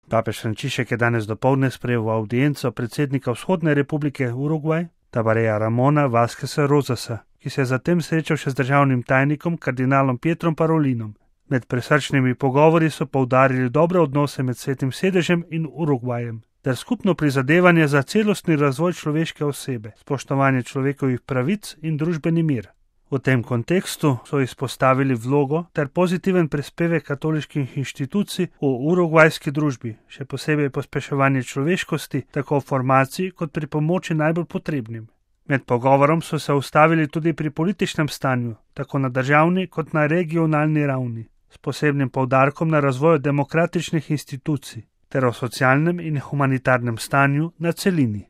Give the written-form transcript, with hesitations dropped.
Papež Frančišek je danes dopoldne sprejel v avdienco predsednika Vzhodne republike Urugvaj, Tabareja Ramona Vazqueza Rosasa, ki se je zatem srečal še z državnim tajnikom kardinalom Pietrom Parolinom. Med prisrčnimi pogovori so poudarili dobre odnose med Svetim sedežem in Urugvajem, ter skupno prizadevanje za celostni razvoj človeške osebe, spoštovanje človekovih pravic in družbeni mir. V tem kontekstu so izpostavili vlogo ter pozitiven prispevek katoliških inštitucij v urugvajski družbi, še posebej pospeševanje človeškosti, tako v formaciji kot pri pomoči najbolj potrebnim. Med pogovorom so se ustavili tudi pri političnem stanju, tako na državni kot na regionalni ravni, s posebnim poudarkom na razvoju demokratičnih institucij ter o socialnem in humanitarnem stanju na celini.